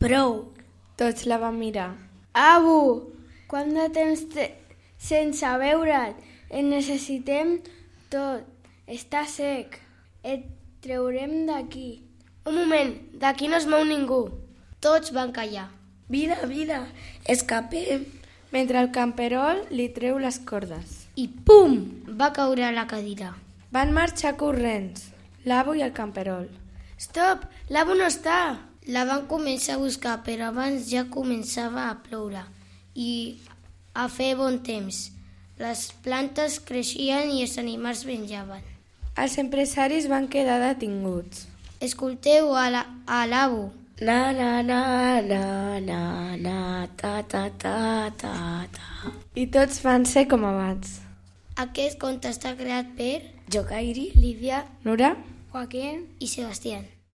Prou. Tots la van mirar. Abu, quant de temps sense veure't? Et necessitem tot. Està sec. Et treurem d'aquí. Un moment, d'aquí no es mou ningú. Tots van callar. Vine, escapem. Mentre el camperol li treu les cordes. I pum! Va caure a la cadira. Van marxar corrents, l'Abu i el camperol. Stop! L'Abu no està! La van començar a buscar, però abans ja començava a ploure i a fer bon temps. Les plantes creixien i els animals menjaven. Els empresaris van quedar detinguts. Escolteu a l'Abu. Na, na, na, na, na, na, ta, ta, ta, ta, ta. I tots van ser com abans. Aquest conte està creat per Jo, Kairi. Lídia, Nura? Joaquín i Sebastián.